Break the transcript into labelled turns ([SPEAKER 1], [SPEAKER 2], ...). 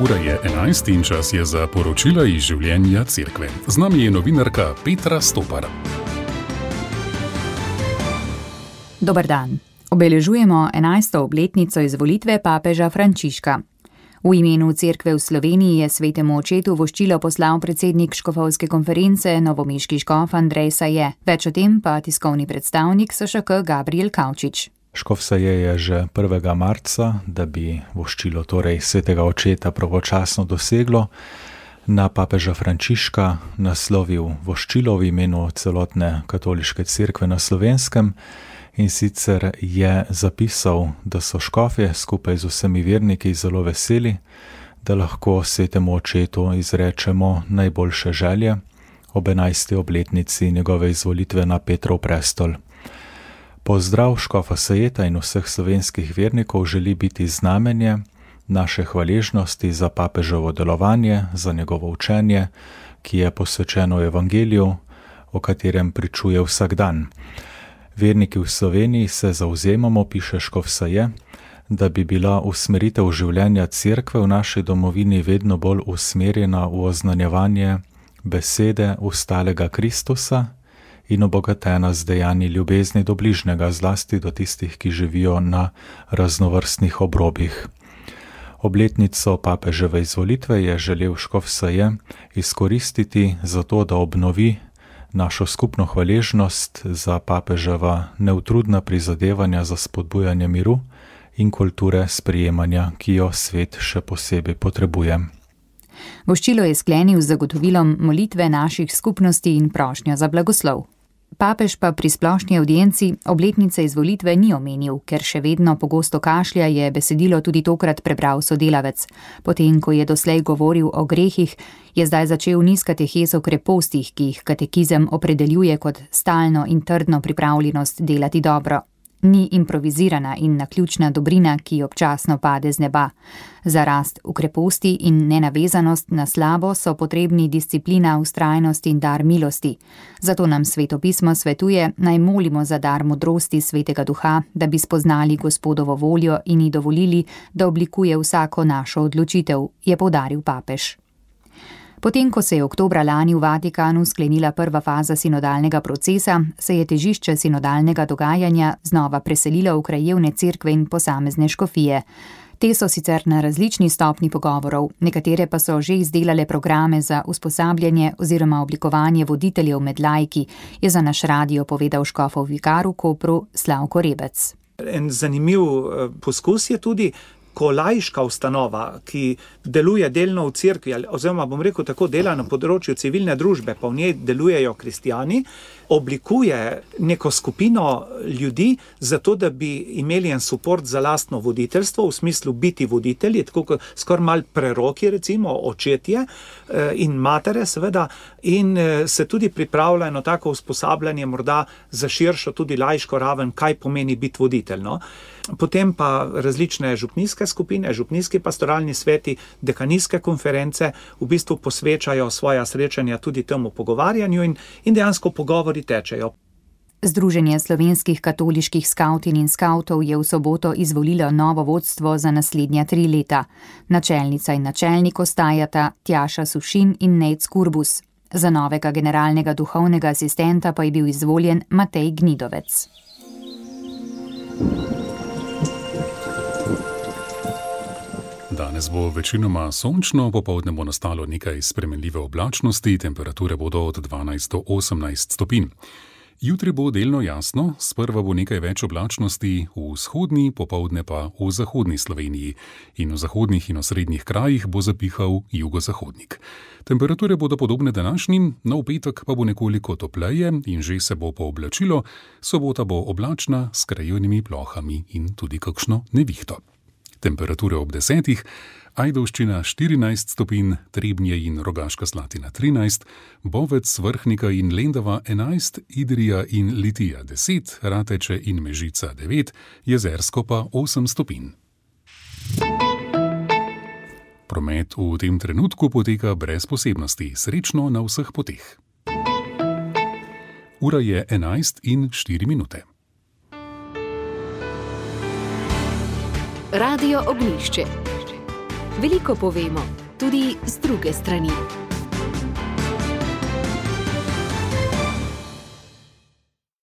[SPEAKER 1] Ura je 11 in čas je za poročila iz življenja cerkve. Z nami je novinarka Petra Stopar.
[SPEAKER 2] Dober dan. Obeležujemo 11. obletnico izvolitve papeža Frančiška. V imenu cerkve v Sloveniji je svetemu očetu voščilo poslal predsednik škofovske konference novomeški škof Andrej Saje. Več o tem pa tiskovni predstavnik SŠK Gabriel Kavčič.
[SPEAKER 3] Škof Saje je že 1. marca, da bi voščilo torej svetega očeta pravočasno doseglo, na papeža Frančiška naslovil voščilo v imenu celotne katoliške cerkve na Slovenskem in sicer je zapisal, da so škofje skupaj z vsemi verniki zelo veseli, da lahko svetemu očetu izrečemo najboljše želje ob 11. obletnici njegove izvolitve na Petrov prestol. Pozdrav škofa Sajeta in vseh slovenskih vernikov želi biti znamenje naše hvaležnosti za papežovo delovanje, za njegovo učenje, ki je posvečeno evangeliju, o katerem pričuje vsak dan. Verniki v Sloveniji se zavzemamo, piše škof Saje, da bi bila usmeritev življenja cerkve v naši domovini vedno bolj usmerjena v oznanjevanje besede ustalega Kristusa in obogatena z dejanji ljubezni do bližnjega, zlasti do tistih, ki živijo na raznovrstnih obrobjih. Obletnico papeževe izvolitve je želel škof Saje izkoristiti za to, da obnovi našo skupno hvaležnost za papeževa neutrudna prizadevanja za spodbujanje miru in kulture sprejemanja, ki jo svet še posebej potrebuje.
[SPEAKER 2] Voščilo je sklenil z zagotovilom molitve naših skupnosti in prošnjo za blagoslov. Papež pa pri splošni avdienci obletnice izvolitve ni omenil, ker še vedno pogosto kašlja, je besedilo tudi tokrat prebral sodelavec. Potem, ko je doslej govoril o grehih, je zdaj začel niz katehez o krepostih, ki jih katekizem opredeljuje kot stalno in trdno pripravljenost delati dobro. Ni improvizirana in naključna dobrina, ki občasno pade z neba. Za rast v kreposti in nenavezanost na slabo so potrebni disciplina, vztrajnost in dar milosti. Zato nam svetopismo svetuje, naj molimo za dar modrosti svetega duha, da bi spoznali Gospodovo voljo in ji dovolili, da oblikuje vsako našo odločitev, je poudaril papež. Potem, ko se je oktobra lani v Vatikanu sklenila prva faza sinodalnega procesa, se je težišče sinodalnega dogajanja znova preselilo v krajevne cerkve in posamezne škofije. Te so sicer na različni stopni pogovorov, nekatere pa so že izdelale programe za usposabljanje oziroma oblikovanje voditeljev med laiki, je za naš radio povedal škofov vikar v Kopru Slavko Rebec.
[SPEAKER 4] En zanimiv poskus je tudi, ko laiška ustanova, ki deluje delno v cerkvi, oziroma bom rekel tako, dela na področju civilne družbe, pa v njej delujejo kristjani, oblikuje neko skupino ljudi, zato da bi imeli en suport za lastno voditeljstvo, v smislu biti voditelji, tako kot skoraj malo preroki, recimo očetje in matere seveda, in se tudi pripravlja eno tako usposabljanje morda za širšo tudi laiško raven, kaj pomeni biti voditelj, no? Potem pa različne župnijske skupine, župnijski pastoralni sveti, dekanijske konference v bistvu posvečajo svoja srečanja tudi temu pogovarjanju in dejansko pogovori tečejo.
[SPEAKER 2] Združenje slovenskih katoliških skavtin in skavtov je v soboto izvolilo novo vodstvo za naslednja 3 leta. Načelnica in načelnik ostajata Tjaša Sušin in Nejc Kurbus. Za novega generalnega duhovnega asistenta pa je bil izvoljen Matej Gnidovec.
[SPEAKER 1] Danes bo večinoma sončno, popoldne bo nastalo nekaj spremenljive oblačnosti, temperature bodo od 12 do 18 stopinj. Jutri bo delno jasno, sprva bo nekaj več oblačnosti v vzhodni, popoldne pa v zahodni Sloveniji in v zahodnih in osrednjih krajih bo zapihal jugozahodnik. Temperature bodo podobne današnjim, nov petek pa bo nekoliko topleje in že se bo pooblačilo, sobota bo oblačna s krajevnimi plohami in tudi kakšno nevihto. Temperature ob 10, Ajdovščina 14 stopinj, Trebnje in Rogaška Slatina 13, Bovec, Vrhnika in Lendava 11, Idrija in Litija 10, Rateče in Mežica 9, Jezersko pa 8 stopinj. Promet v tem trenutku poteka brez posebnosti, srečno na vseh poteh. Ura je 11:04.
[SPEAKER 5] Radio Ognjišče. Veliko povemo, tudi z druge strani.